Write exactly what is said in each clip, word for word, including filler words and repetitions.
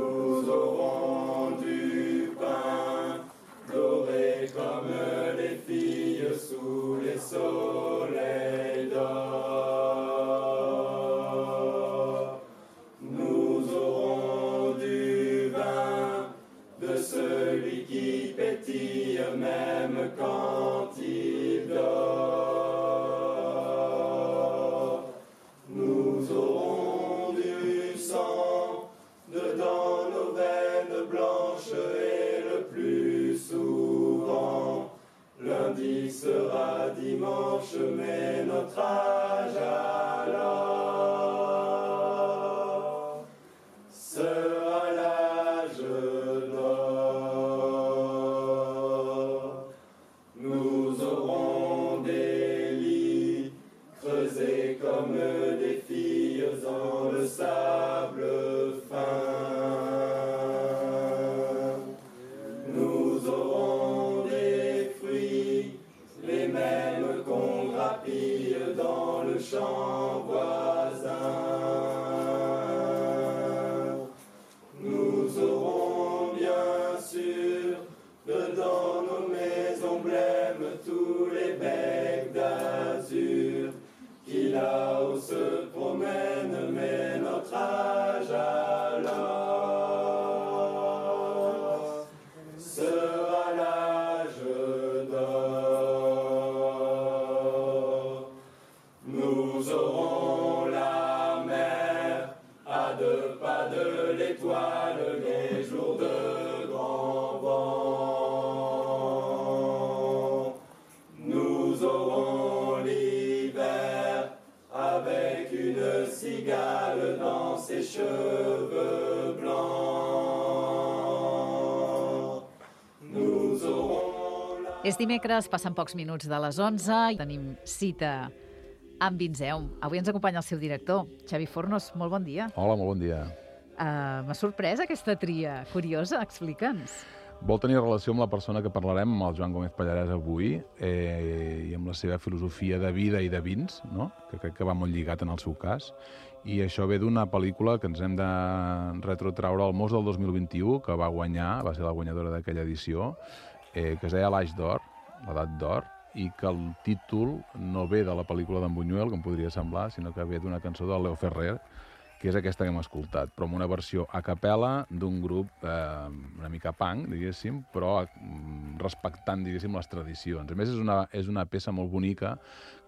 Nous aurons du pain doré comme les filles sous les soleils d'or. Nous aurons du vin de celui qui pétille même quand il dort. Nous aurons du sang dedans nos veines blanches et le plus souvent lundi sera dimanche, mais notre âge alors sera l'âge d'or. Nous aurons des lits creusés comme des filles dans le sable fin. Nous aurons des fruits, les mêmes qu'on grappille dans le champ voisin. Nous aurons bien sûr dedans nos maisons blêmes tous les becs d'azur qui là-haut se promènent, mais notre âge alors sera l'âge d'or. Nous aurons la mer à deux pas de l'étoile, les jours de grand vent. Nous aurons l'hiver avec une cigale dans ses cheveux blancs. Nous aurons la... És dimecres, passen pocs minuts de les onze i tenim cita amb Vinzeum. Avui ens acompanya el seu director, Xavi Fornos. Molt bon dia. Hola, molt bon dia. Uh, M'ha sorprès aquesta tria curiosa, explica'ns. Vol tenir relació amb la persona que parlarem, amb el Joan Gómez Pallarès avui, eh, i amb la seva filosofia de vida i de vins, no? Que crec que va molt lligat en el seu cas. I això ve d'una pel·lícula que ens hem de retrotraure al Mos del dos mil vint-i-u, que va guanyar, va ser la guanyadora d'aquella edició, eh, que es deia l'Aix d'Or, l'Edat d'Or, i que el títol no ve de la pel·lícula d'en Buñuel, com podria semblar, sinó que ve d'una cançó de Leo Ferrer, que és aquesta que hem escoltat, però amb una versió a capella d'un grup eh, una mica punk, diguéssim, però eh, respectant, diguéssim, les tradicions. A més, és una, és una peça molt bonica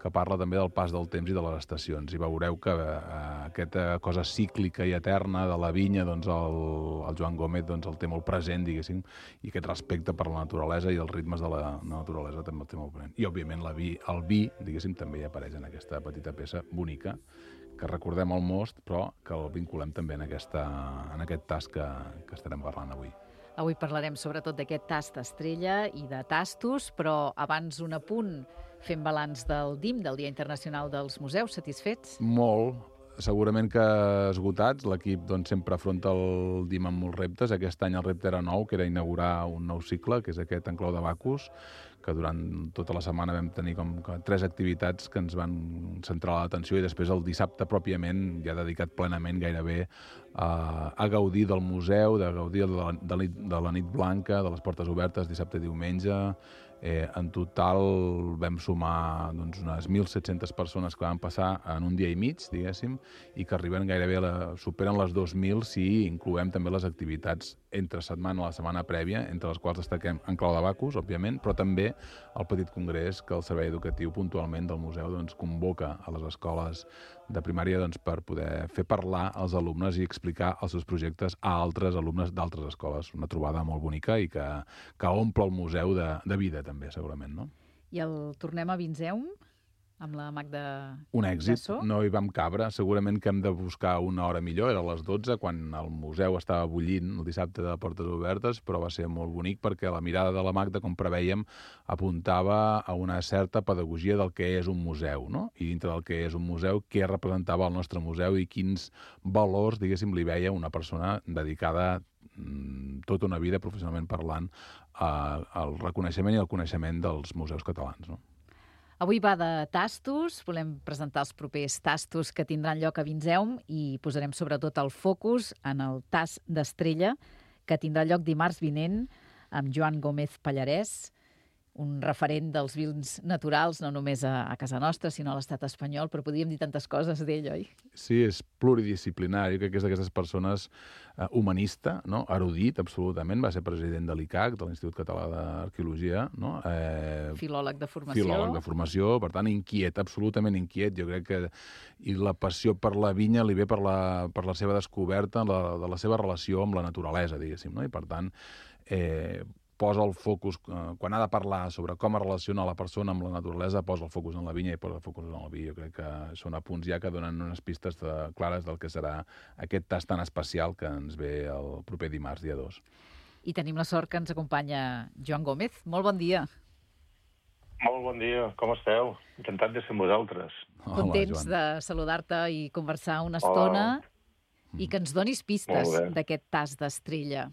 que parla també del pas del temps i de les estacions, i veureu que eh, aquesta cosa cíclica i eterna de la vinya, doncs el, el Joan Gómez doncs, el té molt present, diguéssim, i aquest respecte per la naturalesa i els ritmes de la naturalesa també el té molt present. I, òbviament, la vi, el vi, diguéssim, també hi apareix en aquesta petita peça bonica, que recordem el most, però que el vinculem també en, aquesta, en aquest tas que, que estarem parlant avui. Avui parlarem sobretot d'aquest tast estrella i de tastos, però abans un apunt, fent balanç del D I M, del Dia Internacional dels Museus. Satisfets? Molt. Segurament que esgotats. L'equip doncs, sempre afronta el D I M amb molts reptes. Aquest any el repte era nou, que era inaugurar un nou cicle, que és aquest Enclau de Bacus, que durant tota la setmana vam tenir com tres activitats que ens van centrar l'atenció, i després el dissabte pròpiament ja dedicat plenament gairebé a, a gaudir del museu, de gaudir de la, de, la, de la nit blanca, de les portes obertes dissabte i diumenge. Eh, en total vam sumar doncs, unes mil set-centes persones que van passar en un dia i mig, diguéssim, i que arriben gairebé, a la, superen les dos mil si incloem també les activitats entre setmana, la setmana prèvia, entre les quals destaquem Enclau de Bacus, òbviament, però també el petit congrés que el Servei Educatiu puntualment del museu doncs, convoca a les escoles de primària doncs, per poder fer parlar als alumnes i explicar els seus projectes a altres alumnes d'altres escoles. Una trobada molt bonica i que, que omple el museu de, de vida, també, segurament, no? I el tornem a Vinzeum, amb la Magda Un èxit, Gassó. No hi vam cabre. Segurament que hem de buscar una hora millor, era a les dotze, quan el museu estava bullint el dissabte de portes obertes, però va ser molt bonic perquè la mirada de la Magda, com preveiem, apuntava a una certa pedagogia del que és un museu, no? I dintre del que és un museu, què representava el nostre museu i quins valors, diguéssim, li veia una persona dedicada tota una vida, professionalment parlant, al reconeixement i al coneixement dels museus catalans, no? Avui va de tastos, volem presentar els propers tastos que tindran lloc a Vinseum i posarem sobretot el focus en el tast d'Estrella, que tindrà lloc dimarts vinent amb Joan Gómez Pallarès, un referent dels vins naturals, no només a, a casa nostra, sinó a l'estat espanyol, però podríem dir tantes coses d'ell, oi? Sí, és pluridisciplinari, crec que és d'aquestes persones eh, humanista, no? Erudit, absolutament, va ser president de l'I C A C, de l'Institut Català d'Arqueologia, no? Eh, filòleg de formació. Filòleg de formació, per tant, inquiet, absolutament inquiet. Jo crec que i la passió per la vinya li ve per la, per la seva descoberta, la, de la seva relació amb la naturalesa, diguéssim, no? I, per tant, eh, posa el focus, eh, quan ha de parlar sobre com es relaciona la persona amb la naturalesa, posa el focus en la vinya i posa el focus en el vi. Jo crec que són apunts ja que donen unes pistes de, clares del que serà aquest tast tan especial que ens ve el proper dimarts, dia dos. I tenim la sort que ens acompanya Joan Gómez. Molt bon dia. Molt bon dia, com esteu? Encantat de ser amb vosaltres. Hola, Contents Joan. de saludar-te i conversar una estona i que ens donis pistes d'aquest tast d'Estrella.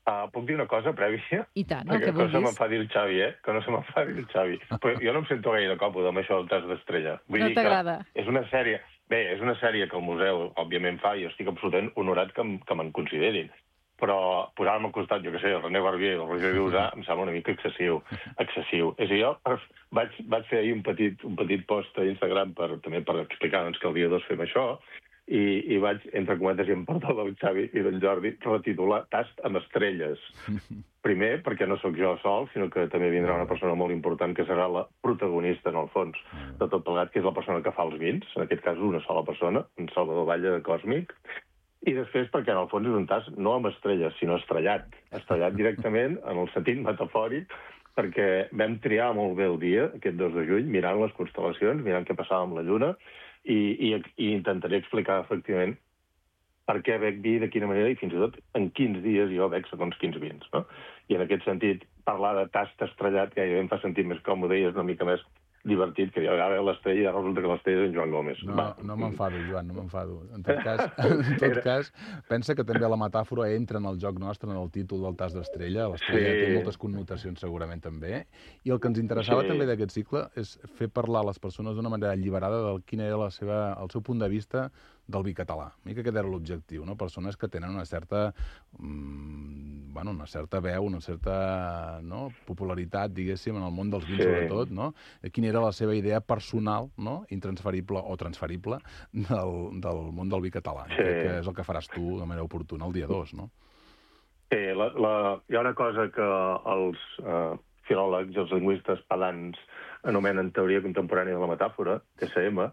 Uh, puc dir una cosa prèvia? I tant, el Perquè que no se vulguis. m'enfadi el Xavi, eh? Que no se m'enfadi el Xavi. Però jo no em sento gaire còmode amb això del tast d'Estrella. Vull No dir que t'agrada? és una sèrie... Bé, és una sèrie que el museu, òbviament, fa i jo estic absolutament honorat que, em- que me'n considerin. Però posar-me al costat, jo què sé, el René Barbier i el Roger Viusà em sembla una mica excessiu. excessiu. És a dir, jo vaig, vaig fer ahir un petit, un petit post a Instagram per, també per explicar doncs, que el dia dos fem això, i, i vaig, entre cometes, i em perdó del Xavi i del Jordi, retitular Tast amb estrelles. Primer, perquè no sóc jo sol, sinó que també vindrà una persona molt important que serà la protagonista, en el fons, de tot plegat, que és la persona que fa els vins, en aquest cas una sola persona, en Salvador Batlle de Còsmic, i després perquè en el fons és un tast no amb estrelles, sinó estrellat. Estrellat directament, en el sentit metafòric, perquè vam triar molt bé el dia, aquest dos de juny, mirant les constel·lacions, mirant què passava amb la Lluna, i, i, i intentaré explicar, efectivament, per què bec vi, de quina manera, i fins i tot en quins dies jo bec segons quins vins, no? I en aquest sentit, parlar de tast estrellat gairebé em fa sentir més còmode i és una mica més divertit que ja ve l'estrella i ja resulta que l'estrella és en Joan Gómez. No, Va. no m'enfado, Joan, no m'enfado. En tot cas, en tot cas, pensa que també la metàfora entra en el joc nostre, en el títol del tast d'Estrella. L'Estrella Sí. té moltes connotacions segurament també. I el que ens interessava Sí. també d'aquest cicle és fer parlar a les persones d'una manera alliberada del quin era la seva, el seu punt de vista del vi català. A mi que aquest era l'objectiu, no? Persones que tenen una certa, mm, bueno, una certa veu, una certa no? popularitat, diguéssim, en el món dels vins, Sí. sobretot, no? Quina era la seva idea personal, no? Intransferible o transferible del, del món del vi català. Sí. Sí. Crec que és el que faràs tu de manera oportuna el dia dos, no? Sí, la, la, hi ha una cosa que els eh, filòlegs i els lingüistes pedants anomenen teoria contemporània de la metàfora, T C M,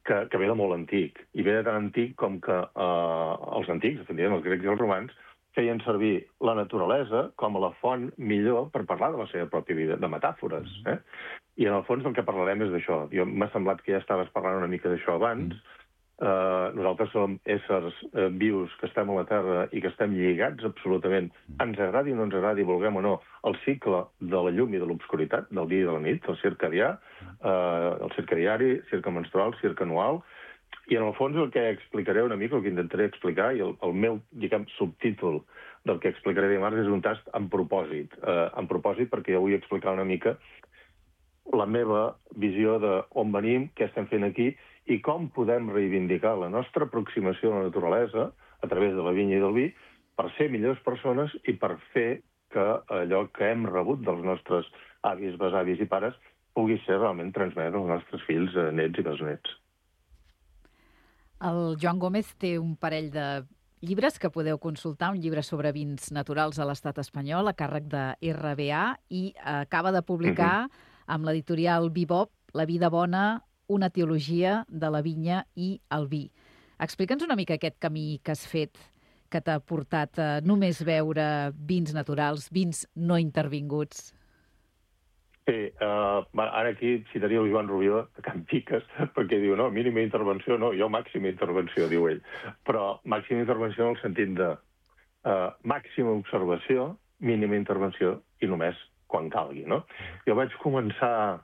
que, que ve de molt antic. I ve de tan antic com que eh, els antics, efectivament, els grecs i els romans, feien servir la naturalesa com a la font millor per parlar de la seva pròpia vida, de metàfores. Eh? I en el fons del que parlarem és d'això. Jo m'ha semblat que ja estaves parlant una mica d'això abans. Mm. Uh, nosaltres som éssers uh, vius que estem a la Terra i que estem lligats absolutament, ens agradi o no ens agradi, vulguem o no, el cicle de la llum i de l'obscuritat, del dia i de la nit, el circadià, uh, el circadiari, circle menstrual, circle anual, i en el fons el que explicaré una mica, el que intentaré explicar, i el, el meu, diguem, subtítol del que explicaré dimarts és un tast amb propòsit. Uh, amb propòsit perquè jo vull explicar una mica la meva visió de on venim, què estem fent aquí, i com podem reivindicar la nostra aproximació a la naturalesa a través de la vinya i del vi per ser millors persones i per fer que allò que hem rebut dels nostres avis, besavis i pares pugui ser realment transmès als nostres fills, nets i besnets. El Joan Gómez té un parell de llibres que podeu consultar, un llibre sobre vins naturals a l'estat espanyol, a càrrec de R B A, i acaba de publicar uh-huh. amb l'editorial Bibop, La vida bona, una teologia de la vinya i el vi. Explica'ns una mica aquest camí que has fet, que t'ha portat a només veure vins naturals, vins no intervinguts. Sí, uh, ara aquí citaria el Joan Rubió de Can Piques, perquè diu, no, mínima intervenció, no, jo màxima intervenció, diu ell. Però màxima intervenció en el sentit de uh, màxima observació, mínima intervenció i només quan calgui, no? Jo vaig començar...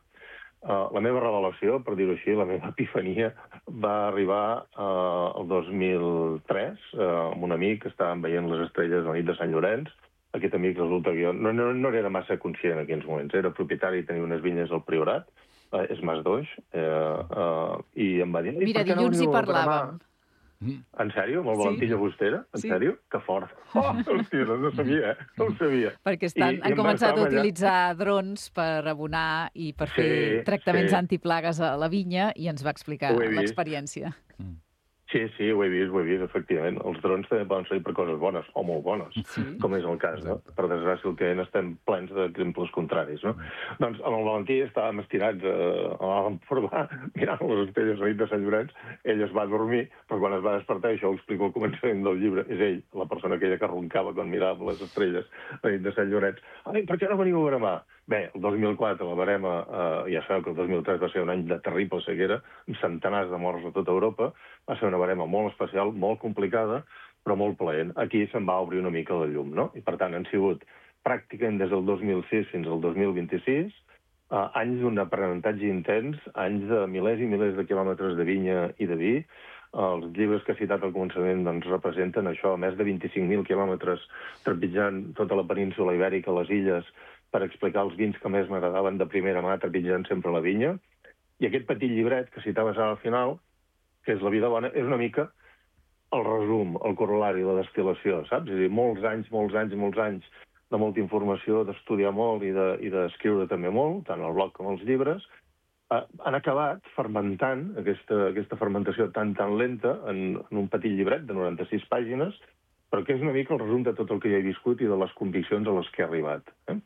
Uh, la meva revelació, per dir-ho així, la meva epifania, va arribar uh, el dos mil tres uh, amb un amic que estàvem veient les estrelles a la nit de Sant Llorenç aquest amic resulta que jo no, no, no era massa conscient en aquells moments. Era propietari i tenia unes vinyes al Priorat, eh, és Mas Doix, eh, eh, i em va dir... Mira, dilluns hi parlàvem. En sèrio? Amb el Valentí Llagostera? En sí. sèrio? Que fort. Oh, hòstia, no ho sabia, eh? No ho sabia. Perquè estan, I, han i començat a utilitzar allà... drons per abonar i per fer sí, tractaments sí. antiplagues a la vinya i ens va explicar l'experiència. Mm. Sí, sí, ho he vist, ho he vist, efectivament. Els drons també poden servir per coses bones, o molt bones, sí. com és el cas, no? Per desgràcia, el que estem plens d'exemples contraris, no? Mm. Doncs amb el Valentí estàvem estirats eh, a l'Empordà, mirant les estrelles a la nit de Sant Llorenç. Ell es va dormir, però quan es va despertar, això ho explico al començament del llibre, és ell, la persona aquella que roncava quan mirava les estrelles a la nit de Sant Llorenç. Ai, per què no veniu a Veremar? Bé, el dos mil quatre la Verema, eh, ja sabeu que el dos mil tres va ser un any de terrible sequera, amb centenars de morts a tota Europa, va ser una Verema molt especial, molt complicada, però molt plaent. Aquí se'n va obrir una mica la llum, no? I per tant han sigut pràcticament des del dos mil sis fins al dos mil vint-i-sis eh, anys d'un aprenentatge intens, anys de milers i milers de quilòmetres de vinya i de vi. Els llibres que he citat al començament doncs, representen això, més de vint-i-cinc mil quilòmetres trepitjant tota la península ibèrica, les illes, per explicar els vins que més m'agradaven de primera mà, trepitjant sempre la vinya. I aquest petit llibret que citaves al final, que és La vida bona, és una mica el resum, el corolari, la destil·lació, saps? És a dir, molts anys, molts anys, molts anys de molta informació, d'estudiar molt i d'escriure de, també molt, tant al blog com als llibres, eh, han acabat fermentant aquesta, aquesta fermentació tan, tan lenta en, en un petit llibret de noranta-sis pàgines, però que és una mica el resum de tot el que ja he viscut i de les conviccions a les que he arribat. Eh?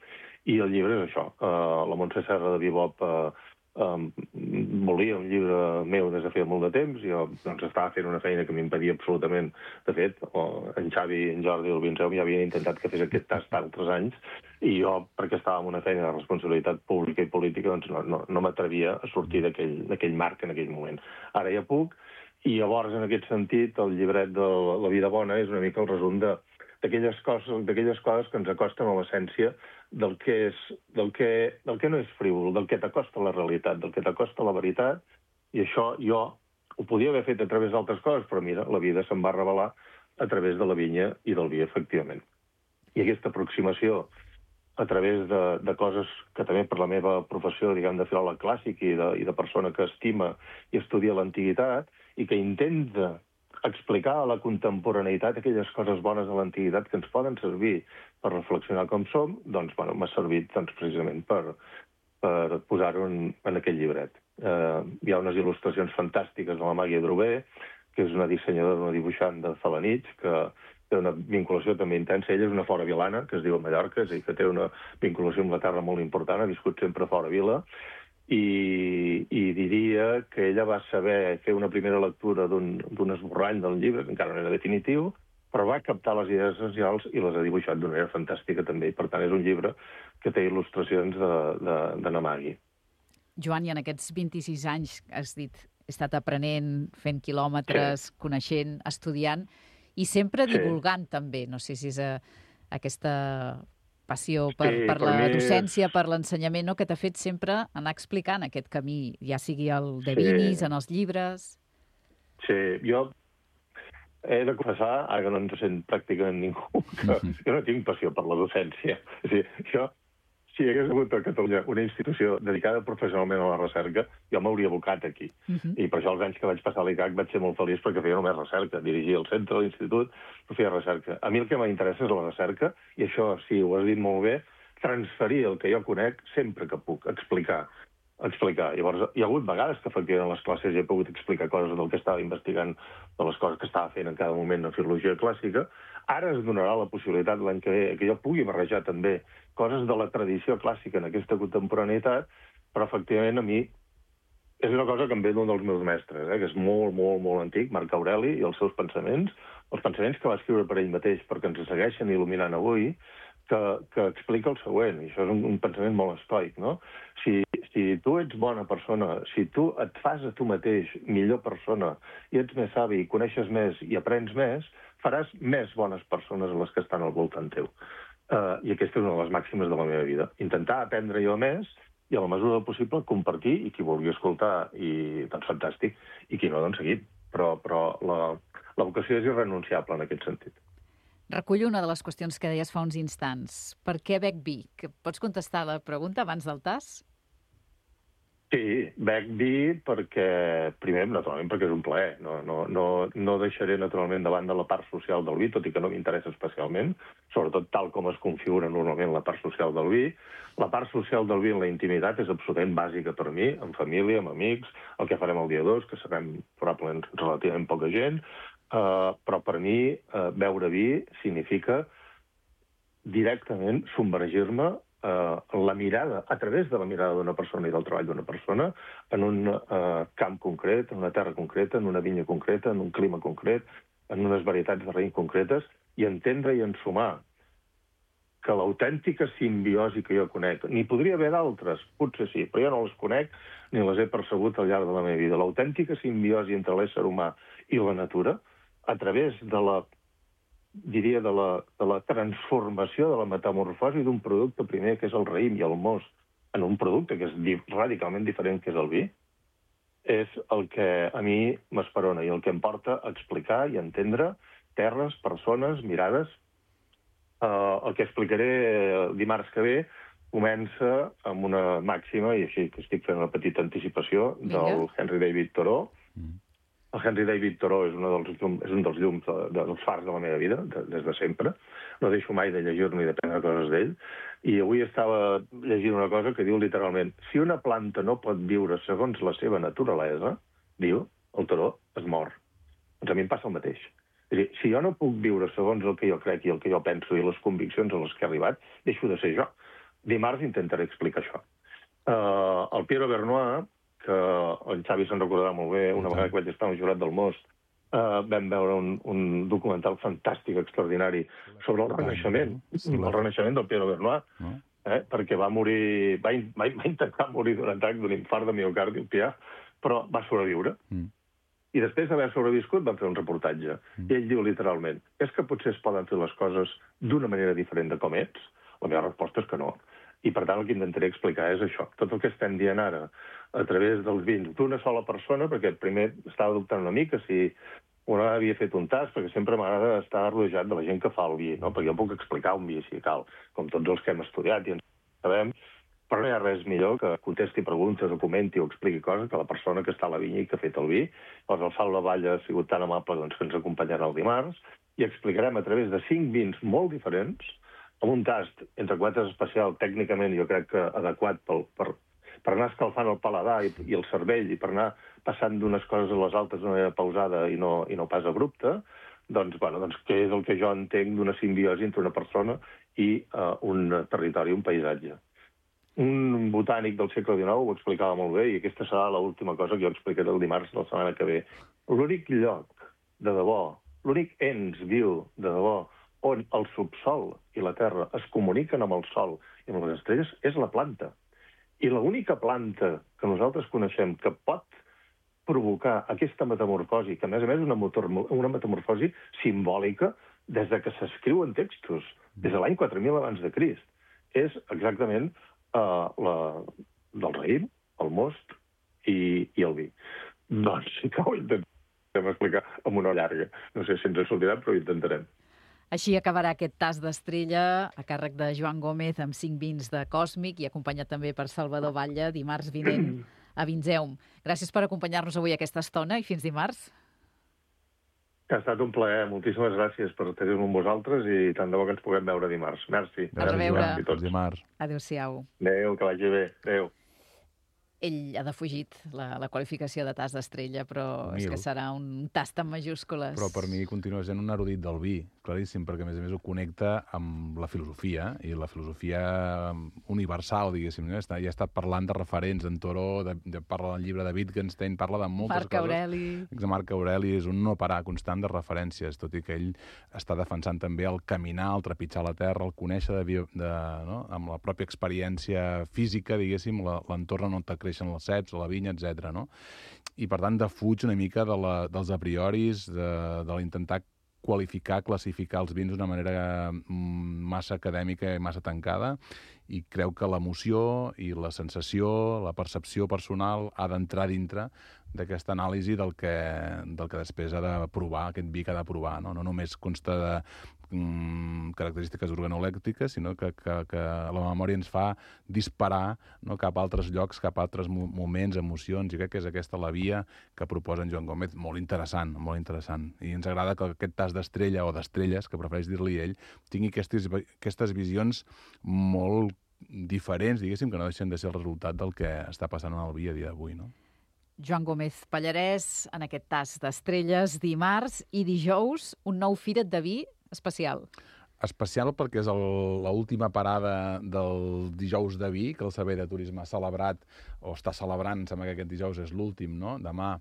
I el llibre és això. Uh, la Montse Serra de Bebop uh, um, volia un llibre meu des de feia molt de temps. Jo doncs, estava fent una feina que m'impedia absolutament. De fet, uh, en Xavi, en Jordi i el Vinceu ja havien intentat que fes aquest tast altres anys i jo, perquè estava en una feina de responsabilitat pública i política, doncs no, no, no m'atrevia a sortir d'aquell marc en aquell moment. Ara ja puc. I llavors, en aquest sentit, el llibret de La vida bona és una mica el resum d'aquelles coses, d'aquelles coses que ens acosten a l'essència del que és, del que, del que no és frívol, del que t'acosta a la realitat, del que t'acosta a la veritat, i això jo ho podia haver fet a través d'altres coses, però mira, la vida se'm va revelar a través de la vinya i del vi, efectivament. I aquesta aproximació a través de, de coses que també per la meva professió, diguem, de filòleg clàssic i de, i de persona que estima i estudia l'antiguitat i que intenta explicar a la contemporaneïtat aquelles coses bones de l'antiguitat que ens poden servir per reflexionar com som, doncs, bueno, m'ha servit doncs, precisament per, per posar-ho en, en aquell llibret. Eh, hi ha unes il·lustracions fantàstiques de la Màgia Drover, que és una dissenyadora, una dibuixant de Felanitx, que té una vinculació també intensa. Ella és una fora vilana, que es diu Mallorca, és a dir, que té una vinculació amb la terra molt important, ha viscut sempre fora vila, i, i diria que ella va saber fer una primera lectura d'un esborrany del llibre, que encara no era definitiu, però va captar les idees essencials i les ha dibuixat d'una manera fantàstica també. I per tant, és un llibre que té il·lustracions de, de, de Namagi. Joan, i en aquests vint-i-sis anys, has dit, he estat aprenent, fent quilòmetres, sí. coneixent, estudiant, i sempre divulgant sí. també. No sé si és a, aquesta passió per, sí, per, per la docència, és... per l'ensenyament, no? Que t'ha fet sempre anar explicant aquest camí, ja sigui el de sí. vinis, en els llibres... Sí, jo he de confessar, ara que no ens sent pràcticament ningú, que jo no tinc passió per la docència. És a dir, jo, si hi hagués hagut a Catalunya una institució dedicada professionalment a la recerca, jo m'hauria abocat aquí. Uh -huh. I per això els anys que vaig passar a l'I C A C vaig ser molt feliç perquè feia només recerca. Dirigia el centre, l'institut, però feia recerca. A mi el que m'interessa és la recerca, i això, sí, ho has dit molt bé, transferir el que jo conec sempre que puc, explicar. explicar. Llavors, hi ha hagut vegades que efectivament a les classes ja he pogut explicar coses del que estava investigant, de les coses que estava fent en cada moment en filologia clàssica. Ara es donarà la possibilitat l'any que ve que jo pugui barrejar també coses de la tradició clàssica en aquesta contemporaneïtat, però efectivament a mi és una cosa que em ve d'un dels meus mestres, eh, que és molt, molt, molt antic, Marc Aureli, i els seus pensaments, els pensaments que va escriure per ell mateix, perquè ens segueixen il·luminant avui, que, que explica el següent, i això és un, un pensament molt estoic, no? Si, si tu ets bona persona, si tu et fas a tu mateix millor persona, i ets més savi, i coneixes més i aprens més, faràs més bones persones a les que estan al voltant teu. Uh, I aquesta és una de les màximes de la meva vida. Intentar aprendre jo més i, a la mesura del possible, compartir, i qui vulgui escoltar, i doncs fantàstic, i qui no, doncs seguit. Però, però la, la vocació és irrenunciable en aquest sentit. Recullo una de les qüestions que deies fa uns instants. Per què bec vi? Que pots contestar la pregunta abans del tas? Sí, bec vi perquè, primer, naturalment, perquè és un plaer. No, no, no, no deixaré, naturalment, davant de la part social del vi, tot i que no m'interessa especialment, sobretot tal com es configura normalment la part social del vi. La part social del vi en la intimitat és absolutament bàsica per mi, en família, amb amics, el que farem el dia dos, que serem probablement relativament poca gent, uh, però per mi uh, beure vi significa directament submergir-me Uh, la mirada, a través de la mirada d'una persona i del treball d'una persona, en un uh, camp concret, en una terra concreta, en una vinya concreta, en un clima concret, en unes varietats de raïm concretes, i entendre i ensumar que l'autèntica simbiosi que jo conec, n'hi podria haver d'altres, potser sí, però jo no les conec ni les he percebut al llarg de la meva vida. L'autèntica simbiosi entre l'ésser humà i la natura, a través de la diria, de la, de la transformació, de la metamorfosi d'un producte primer, que és el raïm i el most, en un producte que és di radicalment diferent, que és el vi, és el que a mi m'esperona i el que em porta a explicar i entendre terres, persones, mirades. Uh, el que explicaré dimarts que ve comença amb una màxima, i així que estic fent una petita anticipació, del Henry David Thoreau. Mm. El Henry David Thoreau és, dels, és un dels llums, de, de, dels fars de la meva vida, de, des de sempre. No deixo mai de llegir-ne i de prendre coses d'ell. I avui estava llegint una cosa que diu literalment: si una planta no pot viure segons la seva naturalesa, diu el Thoreau, es mor. Doncs a mi em passa el mateix. És a dir, si jo no puc viure segons el que jo crec i el que jo penso i les conviccions a les que he arribat, deixo de ser jo. Dimarts intentaré explicar això. Uh, el Piero Bernois, que el Xavi se'n recordarà molt bé, una vegada que vaig estar al Jurat del Most, uh, vam veure un, un documental fantàstic, extraordinari, sobre el renaixement, el renaixement del Piero Bernois, eh, perquè va morir, va, va, va intentar morir d'un atac d'un infart de miocardi, el Pià, però va sobreviure. Mm. I després d'haver sobreviscut van fer un reportatge. Mm. I ell diu literalment: és que potser es poden fer les coses d'una manera diferent de com ets? La meva resposta és que no. I, per tant, el que intentaré explicar és això. Tot el que estem dient ara, a través dels vins d'una sola persona, perquè primer estava dubtant una mica si una havia fet un tas, perquè sempre m'agrada estar rodejat de la gent que fa el vi, no? Perquè jo puc explicar un vi, si cal, com tots els que hem estudiat i ens sabem, però no hi ha res millor que contesti preguntes o comenti o expliqui coses que la persona que està a la vinya i que ha fet el vi. Llavors, el Salva Valla ha sigut tan amable doncs, que ens acompanyarà el dimarts i explicarem a través de cinc vins molt diferents, amb un tast, entre cometes, especial, tècnicament jo crec que adequat pel, per, per anar escalfant el paladar i, i el cervell i per anar passant d'unes coses a les altres d'una manera pausada i no, i no pas abrupta, doncs, bueno, doncs què és el que jo entenc d'una simbiosi entre una persona i uh, un territori, un paisatge. Un botànic del segle dinou ho explicava molt bé i aquesta serà l'última cosa que jo explicaré el dimarts de la setmana que ve. L'únic lloc de debò, l'únic ens viu de debò on el subsol i la terra es comuniquen amb el sol i amb les estrelles és la planta. I l'única planta que nosaltres coneixem que pot provocar aquesta metamorfosi, que a més a més és una, motor, una metamorfosi simbòlica des de que s'escriuen textos, des de l'any quatre mil abans de Crist, és exactament uh, la, del raïm, el most i, i el vi. Doncs sí que ho intentem explicar amb una llarga. No sé si ens en sortirà, però ho intentarem. Així acabarà aquest tas d'estrella a càrrec de Joan Gómez amb cinc vins de Còsmic i acompanyat també per Salvador Batlle dimarts vinent a Vinzeum. Gràcies per acompanyar-nos avui aquesta estona i fins dimarts. Ha estat un plaer. Moltíssimes gràcies per tenir-me amb vosaltres i tant de bo que ens puguem veure dimarts. Merci. A reveure. Dimarts. Adéu-siau. Adéu, que vagi bé. Adéu. Ell ha defugit la, la qualificació de tas d'estrella, però Mil. és que serà un tast en majúscules. Però per mi continua sent un erudit del vi, claríssim, perquè a més a més ho connecta amb la filosofia, i la filosofia universal, diguéssim. No? Ja ha estat parlant de referents, en Thoreau, de, de, parla del llibre de Wittgenstein, parla de moltes Marc coses. Aureli. Marc Aureli és un no parar constant de referències, tot i que ell està defensant també el caminar, el trepitjar la terra, el conèixer de, bio, de, no? amb la pròpia experiència física, diguéssim, l'entorn on te creixen les ceps, la vinya, etcètera. No? I, per tant, defuig una mica de la, dels a prioris, de, de l'intentar qualificar, classificar els vins d'una manera massa acadèmica i massa tancada, i creu que l'emoció i la sensació, la percepció personal ha d'entrar dintre d'aquesta anàlisi del que, del que després ha de provar, aquest vi que ha de provar. No, no només consta de mm, característiques organolèctiques, sinó que, que, que la memòria ens fa disparar, no, cap a altres llocs, cap a altres mo moments, emocions, i crec que és aquesta la via que proposa en Joan Gómez, molt interessant, molt interessant. I ens agrada que aquest tas d'estrella, o d'estrelles, que prefereix dir-li ell, tingui aquestes, aquestes visions molt diferents, diguéssim, que no deixen de ser el resultat del que està passant en el dia a dia d'avui, no? Joan Gómez Pallarès, en aquest tas d'estrelles, dimarts i dijous, un nou Fira't de Vi especial. Especial perquè és l'última parada del dijous de vi, que el Servei de Turisme ha celebrat, o està celebrant, sembla que aquest dijous és l'últim, no?, demà,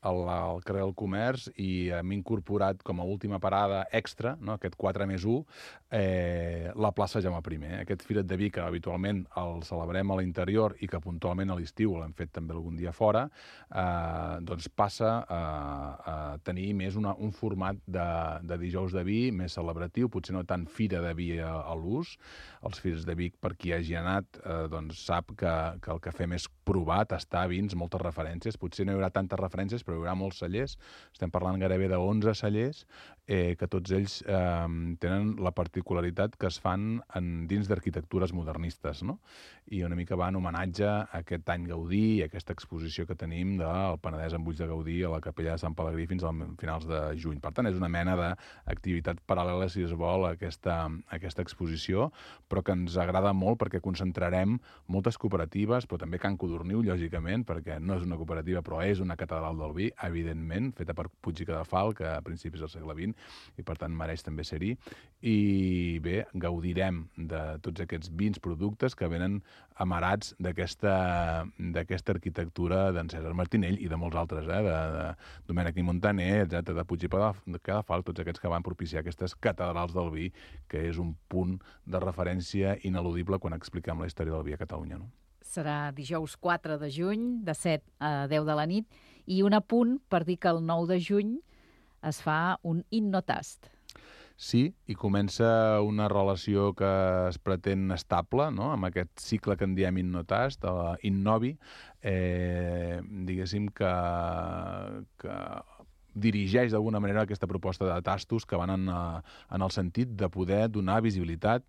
al, al carrer del Comerç, i hem incorporat com a última parada extra, no?, aquest quatre més u, eh, la plaça Jaume primer. Aquest Fira't de Vi, que habitualment el celebrem a l'interior i que puntualment a l'estiu l'hem fet també algun dia fora, eh, doncs passa a, a tenir més una, un format de, de dijous de vi més celebratiu, potser no tant fira de vi a, a l'ús. Els Fires de Vic, per qui hagi anat, eh, doncs sap que, que el que fem és provar, tastar vins, moltes referències. Potser no hi haurà tantes referències, però hi haurà molts cellers. Estem parlant gairebé d'onze cellers, eh, que tots ells eh, tenen la particularitat que es fan en, dins d'arquitectures modernistes, no? I una mica va en homenatge a aquest any Gaudí i aquesta exposició que tenim del Penedès amb ulls de Gaudí a la Capella de Sant Pelegrí fins a finals de juny. Per tant, és una mena d'activitat paral·lela, si es vol, a aquesta, a aquesta exposició, però que ens agrada molt perquè concentrarem moltes cooperatives, però també Can Codorniu, lògicament, perquè no és una cooperativa, però és una catedral del vi, evidentment, feta per Puig i Cadafalch, a principis del segle vint, i per tant mereix també ser-hi. I bé, gaudirem de tots aquests vins productes que venen amarats d'aquesta arquitectura d'en César Martinell i de molts altres, eh? de, de Domènec i Montaner, etcètera, de Puig i Cadafalch, tots aquests que van propiciar aquestes catedrals del vi, que és un punt de referència ineludible quan expliquem la història del vi a Catalunya, no? Serà dijous quatre de juny, de set a deu de la nit, i un apunt per dir que el nou de juny es fa un Innotast. Sí, i comença una relació que es pretén estable, no?, amb aquest cicle que en diem Innotast, Innovi, eh, diguéssim que, que dirigeix d'alguna manera aquesta proposta de tastos que van en, en el sentit de poder donar visibilitat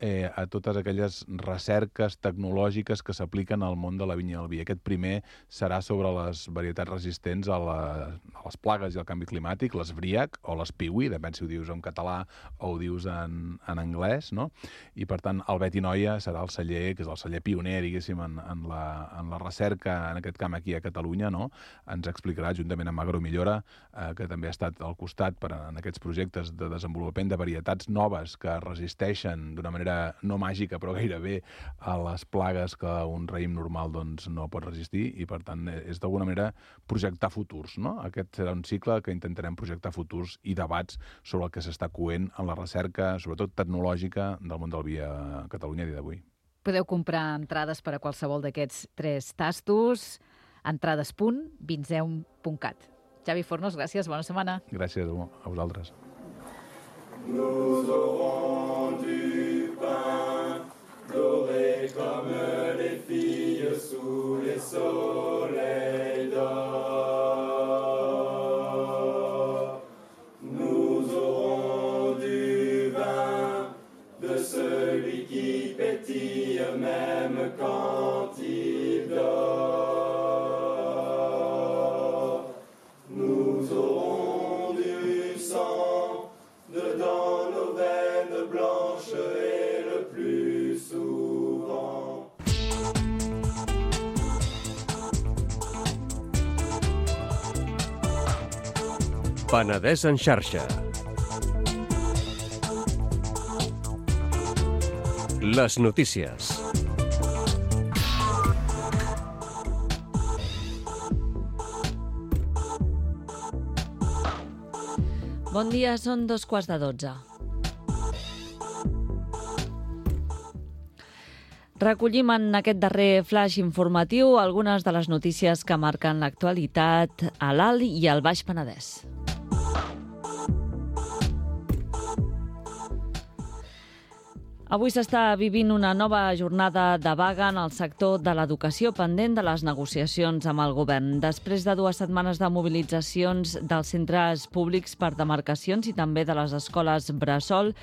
eh, a totes aquelles recerques tecnològiques que s'apliquen al món de la vinya i el vi. Aquest primer serà sobre les varietats resistents a, la, a les plagues i al canvi climàtic, les Briac o les Piwi, depèn si ho dius en català o ho dius en, en anglès, no? I per tant el Beti Noia serà el celler, que és el celler pioner, diguéssim, en, en, la, en la recerca en aquest camp aquí a Catalunya, no? Ens explicarà, juntament amb Agromillora, eh, que també ha estat al costat per, en aquests projectes de desenvolupament de varietats noves que resisteixen d'una manera no màgica, però gairebé a les plagues que un raïm normal doncs, no pot resistir, i per tant és d'alguna manera projectar futurs, no? Aquest serà un cicle que intentarem projectar futurs i debats sobre el que s'està coent en la recerca, sobretot tecnològica, del món del vi a Catalunya a dia d'avui. Podeu comprar entrades per a qualsevol d'aquests tres tastos, entrades punt vinseum punt cat. Xavi Fornos, gràcies, bona setmana. Gràcies a vosaltres. Nous aurons du pain doré comme les filles sous les soleils d'or. Nous aurons du vin de celui qui pétille même quand il dort. Nous aurons du sang dedans nos veines blanches et le plus souvent. Penedès en xarxa. Les notícies. Bon dia, són dos quarts de dotze. Recollim en aquest darrer flash informatiu algunes de les notícies que marquen l'actualitat a l'Alt i al Baix Penedès. Avui s'està vivint una nova jornada de vaga en el sector de l'educació pendent de les negociacions amb el govern. Després de dues setmanes de mobilitzacions dels centres públics per demarcacions i també de les escoles bressol,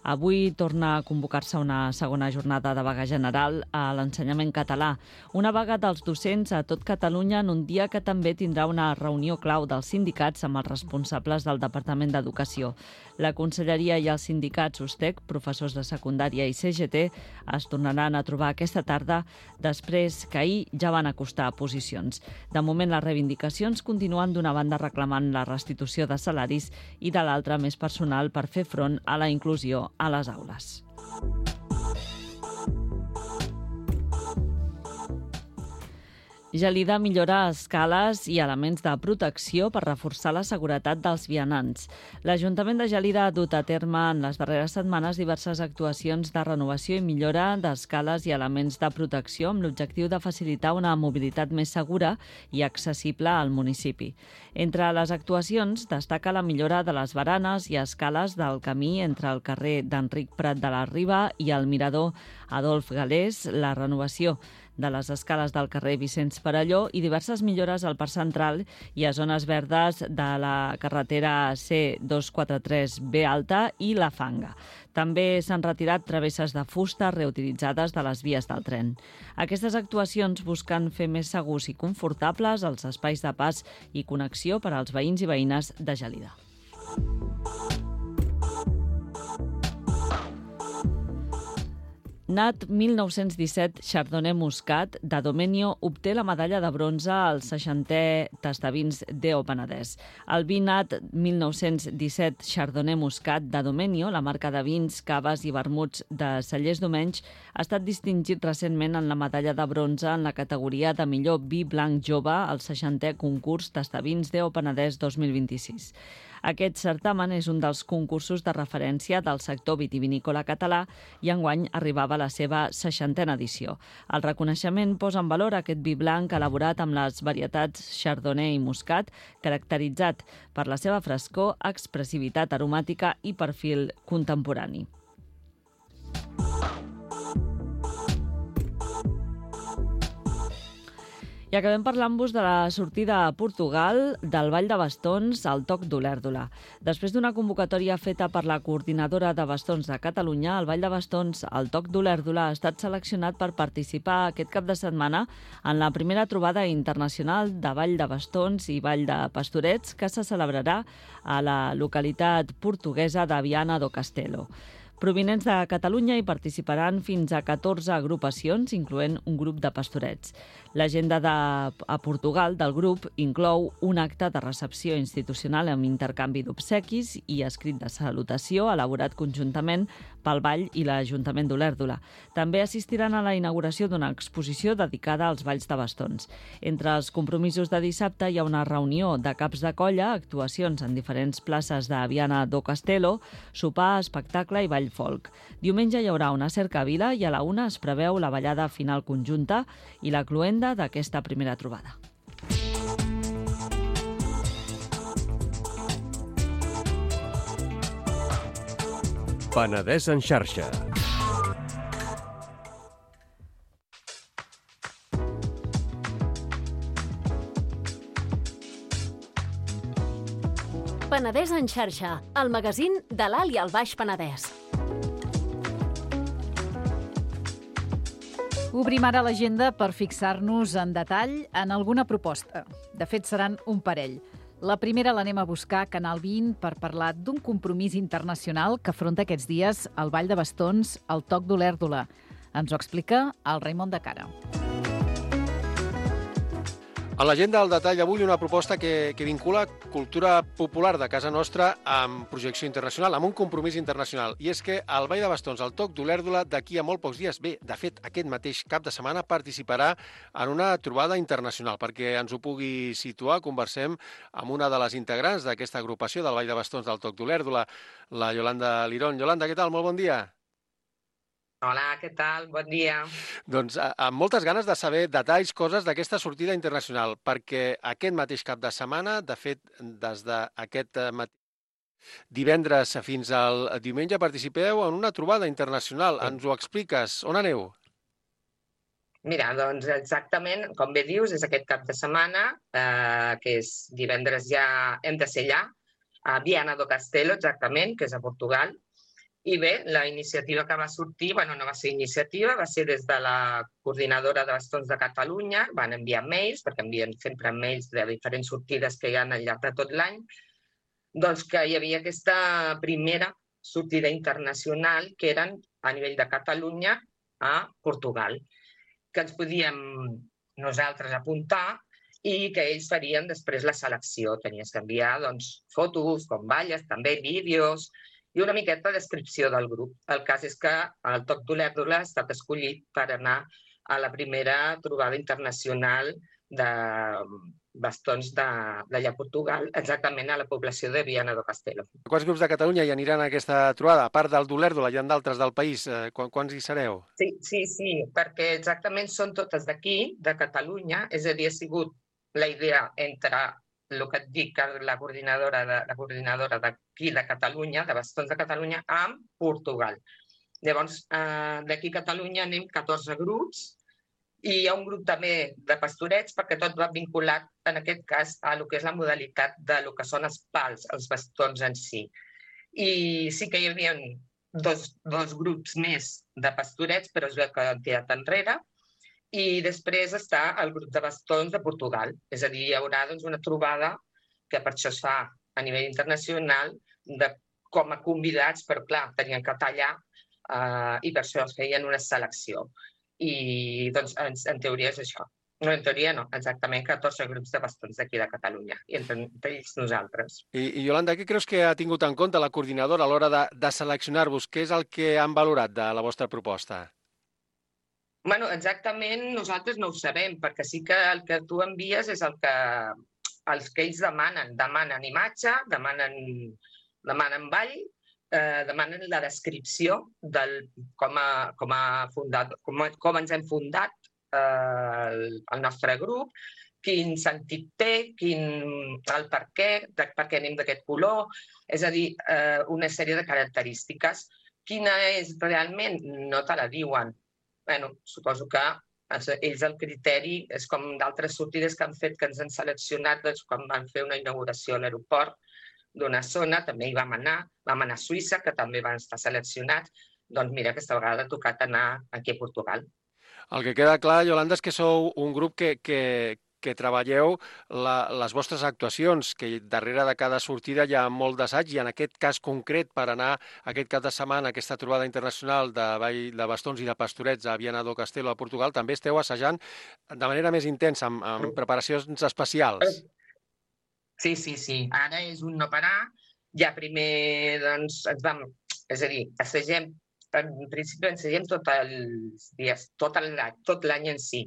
avui torna a convocar-se una segona jornada de vaga general a l'ensenyament català. Una vaga dels docents a tot Catalunya en un dia que també tindrà una reunió clau dels sindicats amb els responsables del Departament d'Educació. La Conselleria i els sindicats USTEC, professors de secundària i C G T, es tornaran a trobar aquesta tarda després que ahir ja van acostar posicions. De moment, les reivindicacions continuen d'una banda reclamant la restitució de salaris i de l'altra més personal per fer front a la inclusió a les aules. Gelida millora escales i elements de protecció per reforçar la seguretat dels vianants. L'Ajuntament de Gelida ha dut a terme en les darreres setmanes diverses actuacions de renovació i millora d'escales i elements de protecció amb l'objectiu de facilitar una mobilitat més segura i accessible al municipi. Entre les actuacions destaca la millora de les baranes i escales del camí entre el carrer d'Enric Prat de la Riba i el mirador Adolf Galés, la renovació de les escales del carrer Vicenç Perelló i diverses millores al Parc Central i a zones verdes de la carretera C dos cents quaranta-tres B alta i la Fanga. També s'han retirat travesses de fusta reutilitzades de les vies del tren. Aquestes actuacions busquen fer més segurs i confortables els espais de pas i connexió per als veïns i veïnes de Gelida. Nat mil nou-cents disset Chardonnay Muscat de Domenio obté la medalla de bronze al seixantè Tastavins d'E O Penedès. El vi Nat mil nou-cents disset Chardonnay Muscat de Domenio, la marca de vins, caves i vermuts de Cellers Domenys, ha estat distingit recentment en la medalla de bronze en la categoria de millor vi blanc jove al seixantè concurs Tastavins d'E O Penedès dos mil vint-i-sis. Aquest certamen és un dels concursos de referència del sector vitivinícola català i enguany arribava a la seva seixantena edició. El reconeixement posa en valor aquest vi blanc elaborat amb les varietats Chardonnay i Muscat, caracteritzat per la seva frescor, expressivitat aromàtica i perfil contemporani. I acabem parlant-vos de la sortida a Portugal del Ball de Bastons al Toc d'Olèrdola. Després d'una convocatòria feta per la Coordinadora de Bastons de Catalunya, el Ball de Bastons al Toc d'Olèrdola ha estat seleccionat per participar aquest cap de setmana en la primera trobada internacional de Ball de Bastons i Ball de Pastorets que se celebrarà a la localitat portuguesa de Viana do Castelo. Provinents de Catalunya hi participaran fins a catorze agrupacions, incloent un grup de pastorets. L'agenda de, a Portugal del grup inclou un acte de recepció institucional amb intercanvi d'obsequis i escrit de salutació elaborat conjuntament pel Ball i l'Ajuntament d'Olèrdola. També assistiran a la inauguració d'una exposició dedicada als balls de bastons. Entre els compromisos de dissabte hi ha una reunió de caps de colla, actuacions en diferents places de Viana do Castelo, sopar, espectacle i ball folk. Diumenge hi haurà una cercavila i a la una es preveu la ballada final conjunta i la cloenda d'aquesta primera trobada. Penedès en xarxa. Penedès en xarxa, el magazín de l'Alt i el Baix Penedès. Obrim ara l'agenda per fixar-nos en detall en alguna proposta. De fet, seran un parell. La primera l'anem a buscar a Canal vint per parlar d'un compromís internacional que afronta aquests dies el Ball de Bastons al Toc d'Olèrdola. Ens ho explica el Raimon de Cara. A l'agenda del detall avui una proposta que, que vincula cultura popular de casa nostra amb projecció internacional, amb un compromís internacional. I és que el Ball de Bastons al Toc d'Olèrdola d'aquí a molt pocs dies, bé, de fet, aquest mateix cap de setmana participarà en una trobada internacional. Perquè ens ho pugui situar, conversem amb una de les integrants d'aquesta agrupació del Ball de Bastons del Toc d'Olèrdola, la Yolanda Lirón. Yolanda, què tal? Molt bon dia. Hola, què tal? Bon dia. Doncs amb moltes ganes de saber detalls, coses d'aquesta sortida internacional, perquè aquest mateix cap de setmana, de fet, des d'aquest matí Divendres fins al diumenge participeu en una trobada internacional. Ens ho expliques? On aneu? Mira, doncs exactament, com bé dius, és aquest cap de setmana, eh, que és divendres ja hem de ser allà, a Viana do Castelo, exactament, que és a Portugal. I bé, la iniciativa que va sortir, bueno, no va ser iniciativa, va ser des de la coordinadora de bastons de Catalunya, van enviar mails, perquè envien sempre mails de diferents sortides que hi ha al llarg de tot l'any, doncs que hi havia aquesta primera sortida internacional que eren a nivell de Catalunya a Portugal, que ens podíem nosaltres apuntar i que ells farien després la selecció. Tenies que enviar doncs, fotos, com balles, també vídeos i una miqueta de descripció del grup. El cas és que el Toc d'Olèrdola ha estat escollit per anar a la primera trobada internacional de bastons d'allà a Portugal, exactament a la població de Viana do Castelo. Quants grups de Catalunya hi aniran a aquesta trobada? A part del d'Olèrdola, hi ha d'altres del país. Eh, quants hi sereu? Sí, sí, sí, perquè exactament són totes d'aquí, de Catalunya, és a dir, ha sigut la idea entre el que et dic, la coordinadora de, la coordinadora d'aquí de Catalunya, de Bastons de Catalunya, amb Portugal. Llavors, eh, d'aquí a Catalunya anem catorze grups, i hi ha un grup també de pastorets perquè tot va vinculat, en aquest cas, a lo que és la modalitat de lo que són els pals, els bastons en si. I sí que hi havia dos, dos grups més de pastorets, però es veu que han tirat enrere. I després està el grup de bastons de Portugal. És a dir, hi haurà doncs, una trobada que per això es fa a nivell internacional de, com a convidats, però clar, tenien que tallar eh, i per això es feien una selecció. I doncs en, en teoria és això. No, en teoria no, exactament catorze grups de bastons d'aquí de Catalunya, i entre, entre ells nosaltres. I, I Iolanda, què creus que ha tingut en compte la coordinadora a l'hora de, de seleccionar-vos? Què és el que han valorat de la vostra proposta? Bueno, exactament nosaltres no ho sabem, perquè sí que el que tu envies és el que, els que ells demanen. Demanen imatge, demanen, demanen ball, eh, demanen la descripció del com a, com a fundat, com, com ens hem fundat eh, el, el nostre grup, quin sentit té, quin, el per què, de, per què anem d'aquest color, és a dir, eh, una sèrie de característiques. Quina és realment? No te la diuen. Bueno, suposo que ells el criteri és com d'altres sortides que han fet, que ens han seleccionat doncs, quan van fer una inauguració a l'aeroport d'una zona, també hi vam anar, vam anar a Suïssa, que també van estar seleccionats. Doncs mira, aquesta vegada ha tocat anar aquí a Portugal. El que queda clar, Iolanda, és que sou un grup que, que, que treballeu la, les vostres actuacions, que darrere de cada sortida hi ha molt d'assaig, i en aquest cas concret, per anar aquest cap de setmana a aquesta trobada internacional de, ball, de bastons i de pastorets a Viana do Castelo, a Portugal, també esteu assajant de manera més intensa, amb, amb preparacions especials. Sí, sí, sí. Ara és un no parar. Ja primer, doncs, ens vam... És a dir, assagem, en principi ensagem tots els dies, tot l'any, tot l'any en si.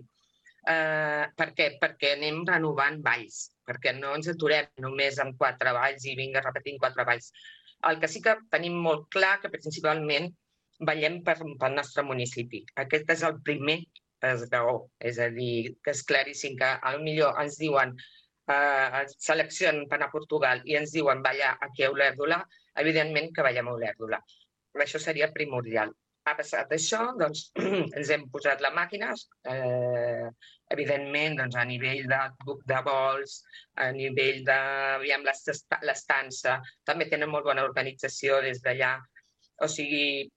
Uh, per què? Perquè anem renovant balls, perquè no ens aturem només amb quatre balls i vinga repetint quatre balls. El que sí que tenim molt clar que principalment ballem per, pel nostre municipi. Aquest és el primer esglaó, és a dir, que és claríssim que potser ens diuen uh, seleccionen per anar a Portugal i ens diuen ballar aquí a Olèrdola, evidentment que ballem a Olèrdola. Això seria primordial. Ha passat això, doncs ens hem posat la màquina, eh, evidentment doncs, a nivell de, de vols, a nivell de aviam, l'estança, també tenen molt bona organització des d'allà. O sigui,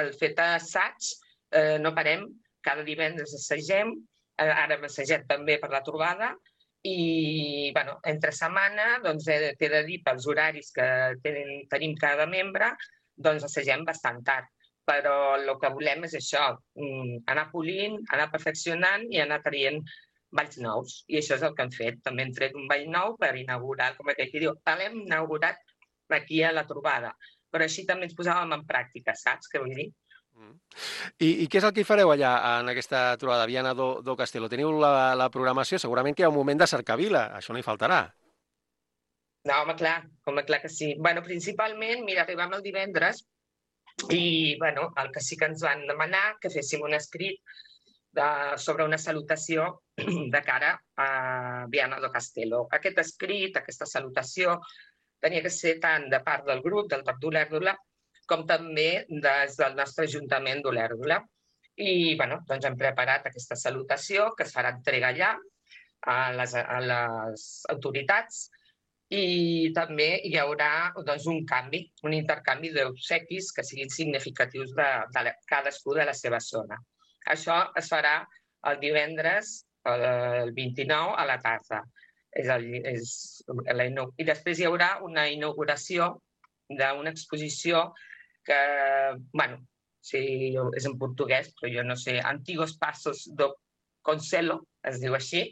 el fet d'assaig, eh, no parem, cada divendres assagem, eh, ara hem assajat també per la trobada, i bueno, entre setmana doncs, eh, t'he de dir pels horaris que tenen, tenim cada membre, doncs assagem bastant tard. Però el que volem és això, anar polint, anar perfeccionant i anar traient balls nous. I això és el que hem fet. També hem tret un ball nou per inaugurar, com aquell que diu, l'hem inaugurat aquí a la trobada. Però així també ens posàvem en pràctica, saps què vull dir? Mm. I, I què és el que hi fareu allà en aquesta trobada, Viana do, do Castelo? Teniu la, la programació? Segurament que hi ha un moment de cercavila, això no hi faltarà. No, home, clar, home, clar que sí. Bueno, principalment, mira, arribam el divendres i bueno, el que sí que ens van demanar que féssim un escrit de, sobre una salutació de cara a Viana do Castelo. Aquest escrit, aquesta salutació, tenia que ser tant de part del grup, del Toc d'Olèrdola, com també des del nostre Ajuntament d'Olèrdola. I bueno, doncs hem preparat aquesta salutació que es farà entrega allà a les, a les autoritats i també hi haurà doncs, un canvi, un intercanvi d'obsequis que siguin significatius de, de cadascú de la seva zona. Això es farà el divendres, el vint-i-nou, a la tarda. És el, és la, I després hi haurà una inauguració d'una exposició que, bueno, sí, és en portuguès, però jo no sé, Antigos Passos do Conselho, es diu així,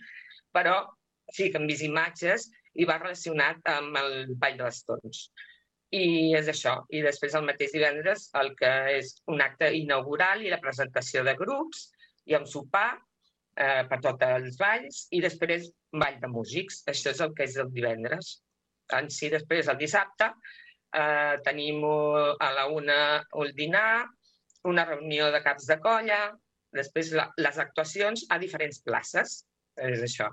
però sí que hem vist imatges i va relacionat amb el Ball de Bastons. I és això. I després el mateix divendres el que és un acte inaugural i la presentació de grups i un sopar eh, per tots els balls i després ball de músics. Això és el que és el divendres. En si després el dissabte eh, tenim a la una el dinar, una reunió de caps de colla, després la, les actuacions a diferents places. És això.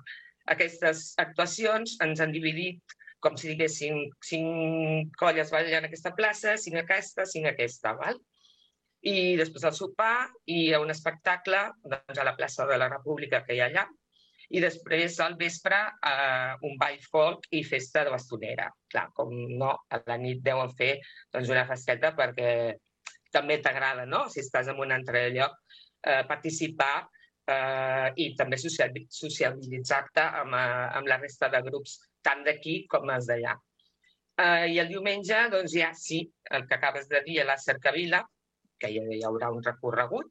Aquestes actuacions ens han dividit com si diguéssim cinc colles ballant a aquesta plaça, cinc a aquesta, cinc a aquesta. Val? I després el sopar i un espectacle doncs, a la plaça de la República que hi ha allà. I després al vespre eh, un ball folk i festa de bastonera. Clar, com no, a la nit deuen fer doncs, una festeta perquè també t'agrada, no? Si estàs en un altre lloc, eh, participar Uh, i també socialitzar-te amb, uh, amb la resta de grups, tant d'aquí com els d'allà. Uh, I el diumenge, doncs ja sí, el que acabes de dir a la Cercavila, que hi, hi haurà un recorregut,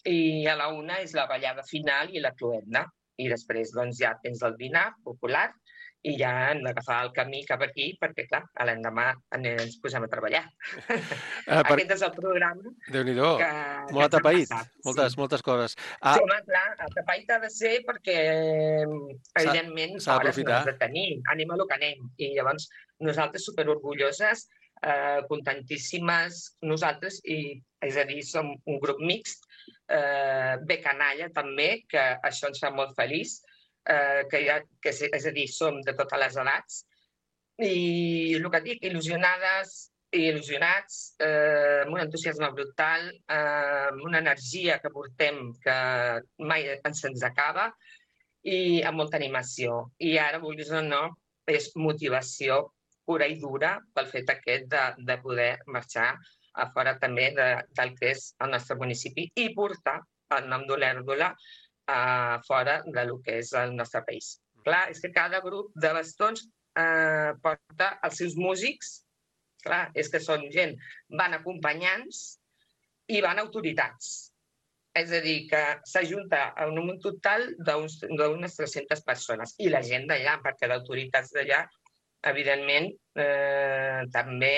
i a la una és la ballada final i la cloenda. I després doncs, ja tens el dinar popular i ja hem d'agafar el camí cap aquí perquè, clar, a l'endemà ens posem a treballar. Uh, per... Aquest és el programa. Déu-n'hi-do, molt atapeït, moltes, sí. moltes coses. Ah. Sí, home, clar, atapeït ha de ser perquè, evidentment, hores no has de tenir, anem a lo que anem. I llavors nosaltres superorgulloses, eh, contentíssimes, nosaltres, i, és a dir, som un grup mixt, eh, bé canalla també, que això ens fa molt feliç, Eh, que, ha, que és a dir, som de totes les edats i el que dic, il·lusionades i il·lusionats, eh, amb un entusiasme brutal, eh, amb una energia que portem que mai ens ens acaba i amb molta animació. I ara, vulguis o no, és motivació pura i dura pel fet aquest de, de poder marxar a fora també de, del que és el nostre municipi i portar el nom d'Olèrdola a fora del que és el nostre país. Clar, és que cada grup de bastons eh, porta els seus músics, clar, és que són gent, van acompanyants i van autoritats. És a dir, que s'ajunta en un total d'unes tres-centes persones. I la gent d'allà, perquè d'autoritats d'allà, evidentment, eh, també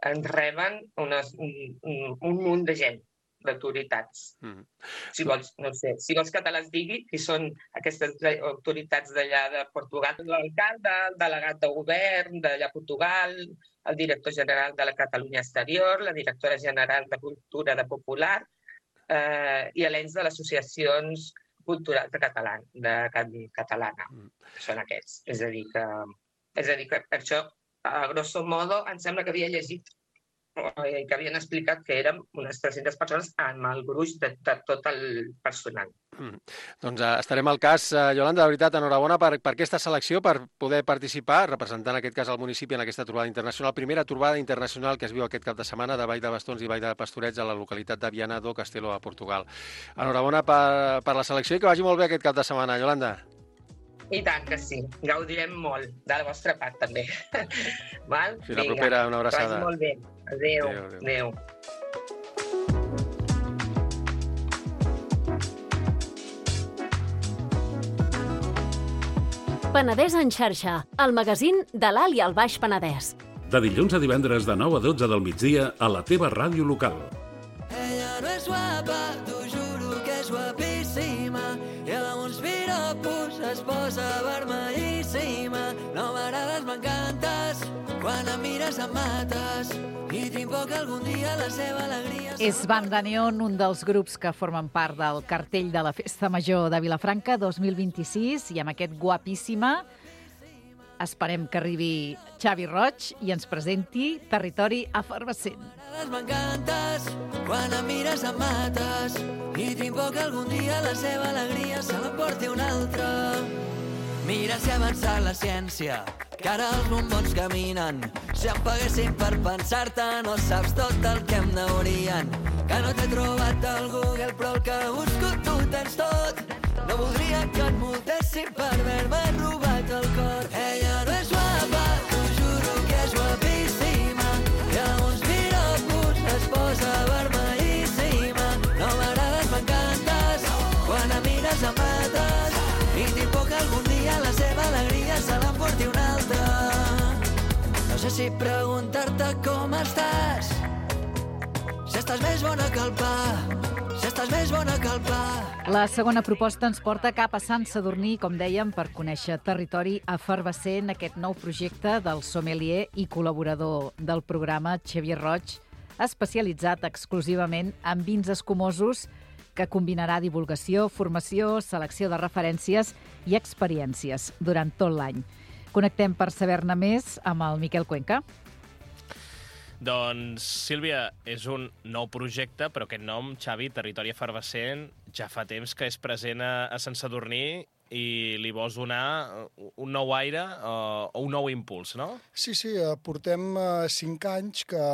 ens reben unes, un, un munt de gent d'autoritats. Mm. Si vols, no sé, si vols que te les digui, qui són aquestes autoritats d'allà de Portugal, l'alcalde, el delegat de govern d'allà a Portugal, el director general de la Catalunya Exterior, la directora general de Cultura de Popular eh, i l'ens de les associacions culturals de, català, de catalana. Mm. Són aquests. És a dir, que, és a dir que això, a grosso modo, em sembla que havia llegit que havien explicat que érem unes tres-centes persones amb el gruix de, de tot el personal. Mm. Doncs uh, estarem al cas. Uh, Yolanda, de veritat, enhorabona per, per aquesta selecció, per poder participar, representant en aquest cas el municipi en aquesta trobada internacional, primera trobada internacional que es viu aquest cap de setmana de Ball de Bastons i Ball de Pastorets a la localitat de Viana do Castelo, a Portugal. Enhorabona per, per la selecció i que vagi molt bé aquest cap de setmana, Yolanda. I tant que sí, gaudirem molt de la vostra part també. Val? Fins la propera, una abraçada. Que vagi molt bé. Adéu. Adéu. Adéu. Penedès en xarxa, el magazín de l'Alt i el Baix Penedès. De dilluns a divendres de nou a dotze del migdia a la teva ràdio local. Ella no és guapa, t'ho juro que és guapíssima, i amb uns piropos es posa vermellíssima. No m'agrades, m'encantes, quan em mires em mates, i tinc por que algun dia la seva alegria... És Banda Neon, un dels grups que formen part del cartell de la Festa Major de Vilafranca dos mil vint-i-sis, i amb aquest guapíssima esperem que arribi Xavi Roig i ens presenti Territori Efervescent. M'encantes, quan em mires em mates, i tinc por que algun dia la seva alegria se l'emporti un altre. Mira si ha avançat la ciència, que ara els bombons caminen. Si em paguessin per pensar-te, no saps tot el que em neurien. Que no t'he trobat al Google, però el que busco tu tens tot. No voldria que et multessin per haver-me robat el cor. Ella no és guapa, t'ho juro que és guapíssima, i amb uns piropos es posa vermellíssima. No m'agrades, m'encantes, quan em mires em mates, i tinc por que algun dia la seva alegria se l'emporti un altre. No sé si preguntar-te com estàs, si estàs més bona que el pa, si estàs més bona que el pa. La segona proposta ens porta cap a Sant Sadurní, com dèiem, per conèixer Territori Efervescent, aquest nou projecte del sommelier i col·laborador del programa Xavier Roig, especialitzat exclusivament en vins escumosos, que combinarà divulgació, formació, selecció de referències i experiències durant tot l'any. Connectem per saber-ne més amb el Miquel Cuenca. Doncs, Sílvia, és un nou projecte, però aquest nom, Xavi, Territori Efervescent, ja fa temps que és present a, a Sant Sadurní i li vols donar un nou aire o, o un nou impuls, no? Sí, sí, portem cinc anys que,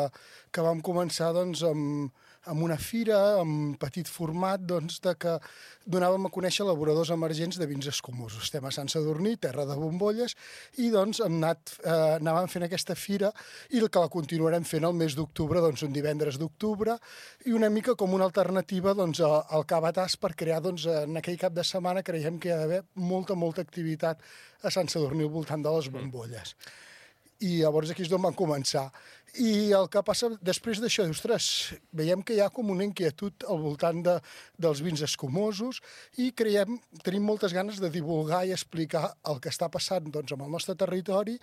que vam començar doncs, amb, amb una fira, amb petit format, doncs, de que donàvem a conèixer elaboradors emergents de vins escumosos. Estem a Sant Sadurní, terra de bombolles, i doncs hem anat, eh, anàvem fent aquesta fira i el que la continuarem fent el mes d'octubre, doncs un divendres d'octubre, i una mica com una alternativa doncs, al Cabatàs per crear, doncs, en aquell cap de setmana creiem que hi ha d'haver molta, molta activitat a Sant Sadurní al voltant de les bombolles. I llavors aquí és d'on vam començar. I el que passa després d'això, ostres, veiem que hi ha com una inquietud al voltant de, dels vins escumosos i creiem, tenim moltes ganes de divulgar i explicar el que està passant doncs, amb el nostre territori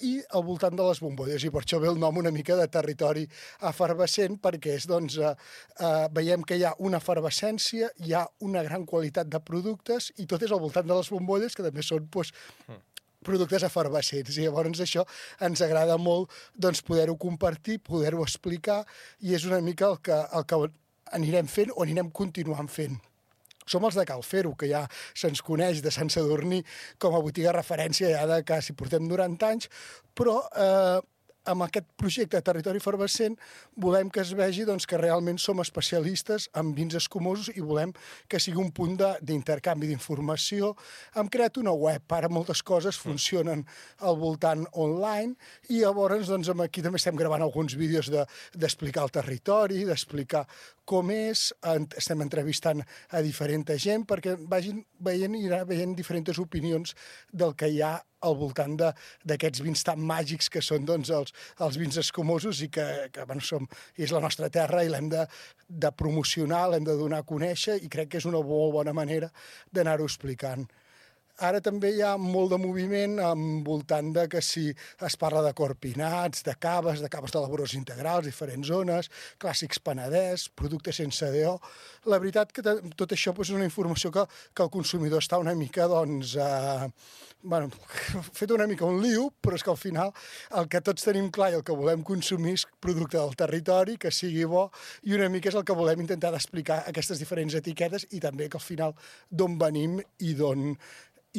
i al voltant de les bombolles. I per això ve el nom una mica de Territori Efervescent, perquè és, doncs, eh, eh, veiem que hi ha una efervescència, hi ha una gran qualitat de productes i tot és al voltant de les bombolles, que també són doncs, productes efervescents, i llavors això ens agrada molt doncs, poder-ho compartir, poder-ho explicar, i és una mica el que, el que anirem fent o anirem continuant fent. Som els de Cal Fer-ho, que ja se'ns coneix de Sant Sadurní com a botiga referència ja de quasi portem noranta anys, però eh, amb aquest projecte de Territori Efervescent volem que es vegi doncs, que realment som especialistes en vins escumosos i volem que sigui un punt d'intercanvi d'informació. Hem creat una web, ara moltes coses funcionen al voltant online i llavors doncs, aquí també estem gravant alguns vídeos d'explicar de, el territori, d'explicar com és, estem entrevistant a diferent gent perquè vagin veient i anar veient diferents opinions del que hi ha al voltant d'aquests vins tan màgics que són doncs, els, els vins escumosos i que, que bueno, som, és la nostra terra i l'hem de, de promocionar, l'hem de donar a conèixer i crec que és una molt bona manera d'anar-ho explicant. Ara també hi ha molt de moviment envoltant de que si es parla de corpinats, de caves, de caves d'elaboradors integrals, diferents zones, clàssics Penedès, productes sense D O. La veritat que tot això és una informació que, que el consumidor està una mica, doncs, eh, bueno, fet una mica un lío, però és que al final el que tots tenim clar i el que volem consumir és producte del territori, que sigui bo, i una mica és el que volem intentar d'explicar aquestes diferents etiquetes i també que al final d'on venim i d'on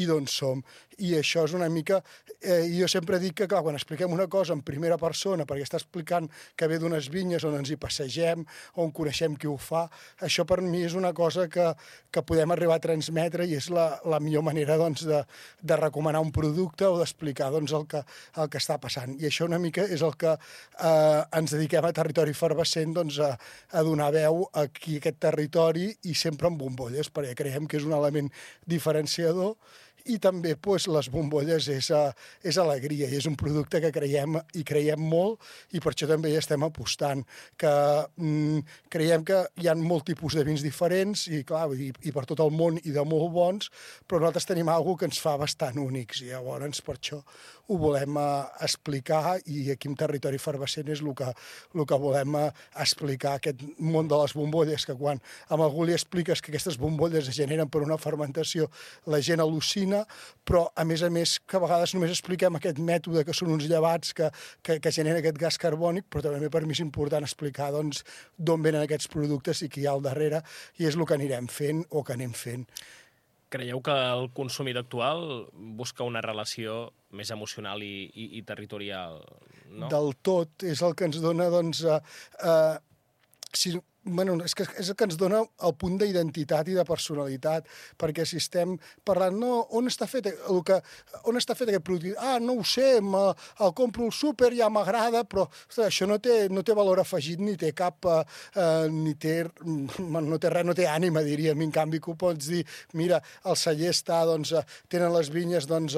i d'on som. I això és una mica... Eh, jo sempre dic que, clar, quan expliquem una cosa en primera persona, perquè està explicant que ve d'unes vinyes on ens hi passegem, on coneixem qui ho fa, això per mi és una cosa que, que podem arribar a transmetre i és la, la millor manera doncs, de, de recomanar un producte o d'explicar doncs, el, que, el que està passant. I això una mica és el que eh, ens dediquem a Territori Efervescent, doncs, a, a donar veu aquí a aquest territori i sempre amb bombolles, perquè creiem que és un element diferenciador. I també doncs, les bombolles és, és alegria i és un producte que creiem i creiem molt i per això també hi estem apostant. Que, mm, creiem que hi ha molt tipus de vins diferents i, clar, i, i per tot el món i de molt bons, però nosaltres tenim alguna cosa que ens fa bastant únics i llavors per això ho volem eh, explicar i aquí en Territori Efervescent és el que, el que volem eh, explicar, aquest món de les bombolles, que quan a algú li expliques que aquestes bombolles es generen per una fermentació, la gent al·lucina cuina, però a més a més que a vegades només expliquem aquest mètode que són uns llevats que, que, que generen aquest gas carbònic, però també per mi és important explicar doncs, d'on venen aquests productes i qui hi ha al darrere, i és el que anirem fent o que anem fent. Creieu que el consumidor actual busca una relació més emocional i, i, i territorial? No? Del tot. És el que ens dona, doncs... Eh, eh, si, bueno, és, que és el que ens dona el punt d'identitat i de personalitat, perquè si estem parlant, no, on està fet, el que, on està fet aquest producte? Ah, no ho sé, el compro al súper, ja m'agrada, però ostres, això no té, no té valor afegit, ni té cap, eh, ni té, no té res, no té ànima, diríem. En canvi, que ho pots dir, mira, el celler està, doncs, tenen les vinyes, doncs,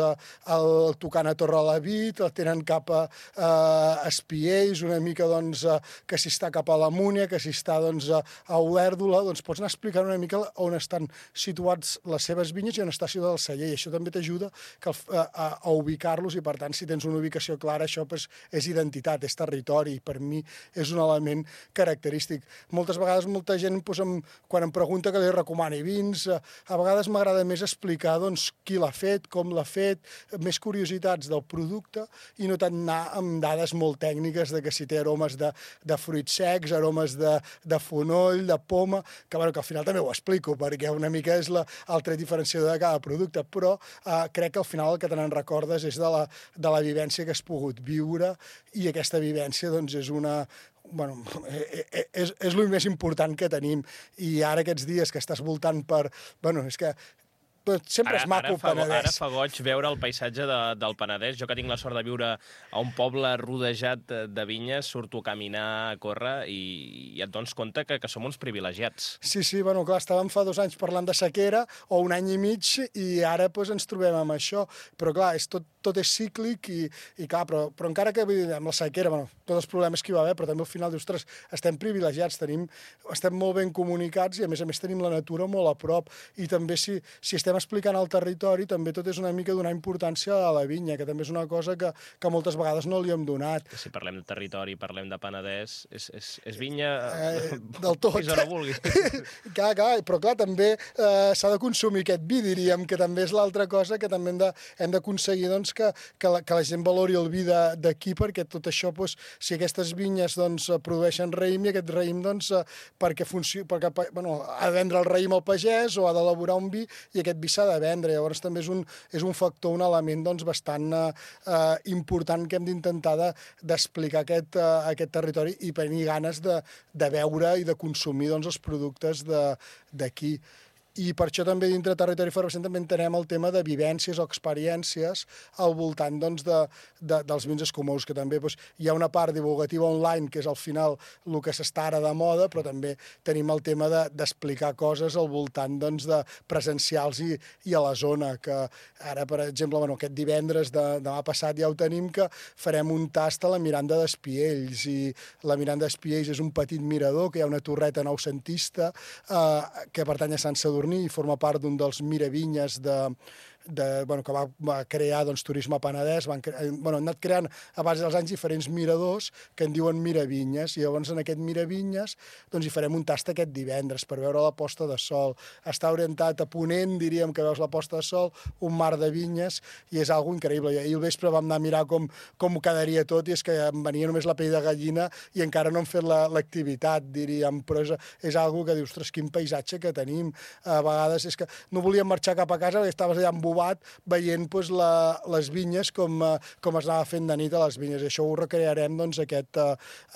el tocant a Torrelavit, tenen cap a eh, Espiells, una mica, doncs, que si està cap a la Múnia, que si està, doncs, a Olèrdola, doncs pots anar explicant una mica on estan situats les seves vinyes i on està situat el celler, i això també t'ajuda a, a, a ubicar-los, i per tant, si tens una ubicació clara, això pues, és identitat, és territori, i per mi és un element característic. Moltes vegades molta gent, pues, em, quan em pregunta que li recomani vins, a vegades m'agrada més explicar doncs, qui l'ha fet, com l'ha fet, més curiositats del producte, i no tant anar amb dades molt tècniques de que si té aromes de, de fruits secs, aromes de, de fonoll, de poma, que, bueno, que al final també ho explico, perquè una mica és la, el tret diferenciador de cada producte, però eh, crec que al final el que te n'en recordes és de la, de la vivència que has pogut viure, i aquesta vivència doncs, és una... Bueno, és, és el més important que tenim, i ara aquests dies que estàs voltant per... Bueno, és que sempre ara, és maco ara fa, Penedès. Ara fa goig veure el paisatge de, del Penedès. Jo que tinc la sort de viure a un poble rodejat de vinyes, surto a caminar, a córrer, i, i et dones compte que, que som uns privilegiats. Sí, sí, bueno, clar, estàvem fa dos anys parlant de sequera, o un any i mig, i ara pues, ens trobem amb això. Però clar, és tot, tot és cíclic, i, i clar, però, però encara que amb la sequera, bueno, tots els problemes que hi va haver, però també al final dius, ostres, estem privilegiats, tenim, estem molt ben comunicats, i a més a més tenim la natura molt a prop, i també si, si estem explicant el territori, també tot és una mica donar importància a la vinya, que també és una cosa que, que moltes vegades no li hem donat. Si parlem de territori, parlem de Penedès, és, és, és vinya eh, del tot. Fins on no vulgui. clar, clar, però clar, també eh, s'ha de consumir aquest vi, diríem, que també és l'altra cosa que també hem de, hem d'aconseguir doncs, que, que, la, que la gent valori el vi d'aquí, perquè tot això, doncs, si aquestes vinyes doncs, produeixen raïm, i aquest raïm doncs, perquè, funcioni, perquè bueno, ha de vendre el raïm al pagès o ha d'elaborar un vi, i aquest vi s'ha de vendre. Llavors també és un, és un factor, un element doncs, bastant eh, important que hem d'intentar d'explicar de, aquest, eh, aquest territori, i tenir ganes de, de veure i de consumir doncs, els productes d'aquí. I per això també dintre Territori Efervescent també entenem el tema de vivències o experiències al voltant doncs, de, de, dels vins escumosos, que també doncs, hi ha una part divulgativa online, que és al final el que s'està ara de moda, però també tenim el tema d'explicar de, coses al voltant doncs, de presencials i, i a la zona, que ara, per exemple, bueno, aquest divendres de, demà passat ja ho tenim, que farem un tast a la Miranda d'Espiells, i la Miranda d'Espiells és un petit mirador, que hi ha una torreta noucentista eh, que pertany a Sant Sadurní, i forma part d'un dels miravinyes de, de, bueno, que va, va crear doncs, Turisme Penedès. Van, cre... bueno, han anat creant a base dels anys diferents miradors que en diuen miravinyes, i llavors en aquest miravinyes doncs, hi farem un tast aquest divendres per veure la posta de sol. Està orientat a ponent, diríem, que veus la posta de sol, un mar de vinyes, i és algo increïble. I ahir al vespre vam anar a mirar com, com ho quedaria tot, i és que em venia només la pell de gallina i encara no hem fet l'activitat, diríem, però és, és algo que dius, ostres, quin paisatge que tenim. A vegades és que no volíem marxar cap a casa perquè estaves allà embobat veient doncs, la, les vinyes com, com es anava fent de nit a les vinyes. I això ho recrearem doncs, aquest,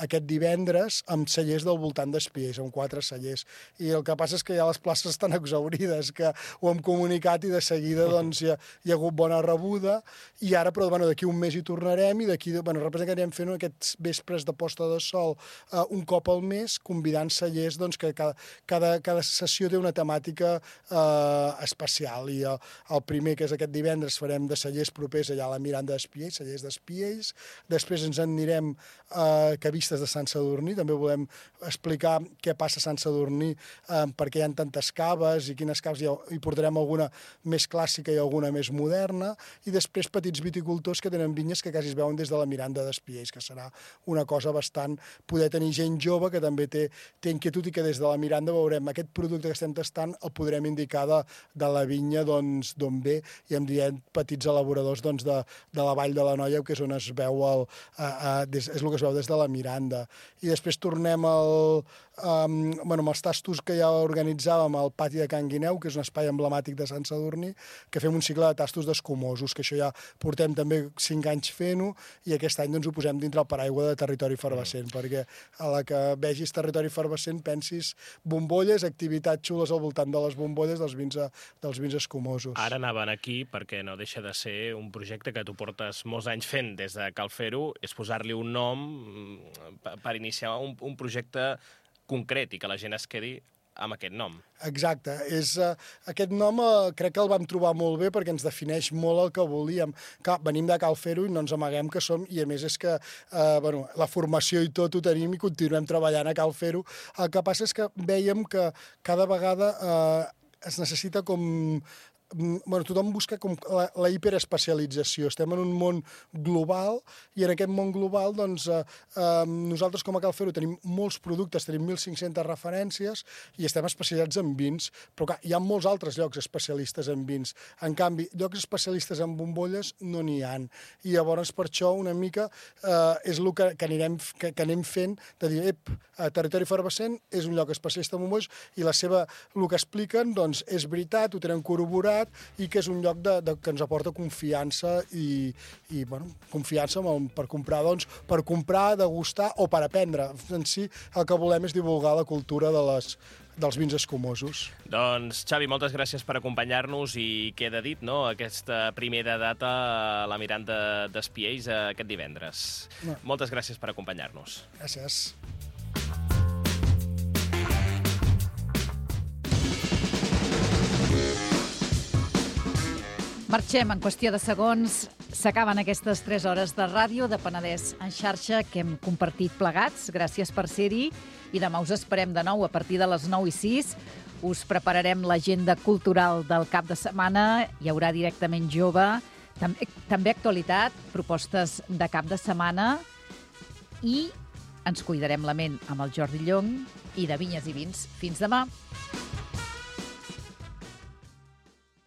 aquest divendres amb cellers del voltant d'Espiells, amb quatre cellers. I el que passa és que ja les places estan exaurides, que ho hem comunicat i de seguida doncs, hi, ha, hi ha hagut bona rebuda, i ara, però bueno, d'aquí un mes hi tornarem, i d'aquí, bueno, representa que anirem fent aquests vespres de posta de sol uh, un cop al mes, convidant cellers doncs, que cada, cada, cada sessió té una temàtica uh, especial, i el, el primer, que és aquest divendres, farem de cellers propers allà a la Miranda d'Espiells, cellers d'Espiells. Després ens en anirem a uh, Cavistes de Sant Sadurní, també volem explicar què passa a Sant Sadurní, uh, perquè hi ha tantes caves, i quines caves hi ha, hi portarem alguna més clàssica i alguna més moderna, i després petits viticultors que tenen vinyes que quasi es veuen des de la Miranda d'Espiells, que serà una cosa bastant... poder tenir gent jove que també té, té inquietud, i que des de la Miranda veurem aquest producte que estem tastant, el podrem indicar de, de la vinya d'on doncs, ve, Saler i em diem petits elaboradors doncs, de, de la Vall de l'Anoia, que és on es veu el, a, a, des, és el que es veu des de la Miranda. I després tornem al, um, bueno, amb els tastos que ja organitzàvem al pati de Can Guineu, que és un espai emblemàtic de Sant Sadurní, que fem un cicle de tastos d'escumosos, que això ja portem també cinc anys fent-ho, i aquest any doncs, ho posem dintre el paraigua de Territori Efervescent, mm. perquè a la que vegis Territori Efervescent pensis bombolles, activitats xules al voltant de les bombolles dels vins, dels vins escumosos. Ara anaven aquí perquè no deixa de ser un projecte que tu portes molts anys fent des de Cal Fer-ho, és posar-li un nom per iniciar un, un projecte concret i que la gent es quedi amb aquest nom. Exacte. És, uh, aquest nom uh, crec que el vam trobar molt bé perquè ens defineix molt el que volíem. Clar, venim de Cal Fer-ho i no ens amaguem que som, i a més és que uh, bueno, la formació i tot ho tenim i continuem treballant a Cal Fer-ho. El que passa és que vèiem que cada vegada uh, es necessita com... Bueno, tothom busca com la, la hiperespecialització. Estem en un món global i en aquest món global doncs, eh, eh, nosaltres com a Cal Fer-ho tenim molts productes, tenim mil cinc-centes referències i estem especialitzats en vins, però clar, hi ha molts altres llocs especialistes en vins. En canvi, llocs especialistes en bombolles no n'hi ha. I llavors per això una mica eh, és el que, que, anirem, que, que anem fent de dir, ep, Territori Efervescent és un lloc especialista en bombolles i la seva, el que expliquen doncs, és veritat, ho tenen corroborat i que és un lloc de, de, que ens aporta confiança i, i bueno, confiança el, per comprar, doncs, per comprar, degustar o per aprendre. En si el que volem és divulgar la cultura de les, dels vins escumosos. Doncs, Xavi, moltes gràcies per acompanyar-nos i queda dit, no?, aquesta primera data a la Miranda d'Espiells aquest divendres. No. Moltes gràcies per acompanyar-nos. Gràcies. Marxem en qüestió de segons. S'acaben aquestes tres hores de ràdio de Penedès en xarxa que hem compartit plegats. Gràcies per ser-hi. I demà us esperem de nou a partir de les nou i sis. Us prepararem l'agenda cultural del cap de setmana. Hi haurà directament jove. També, també actualitat, propostes de cap de setmana. I ens cuidarem la ment amb el Jordi Llong i de Vinyes i Vins. Fins demà.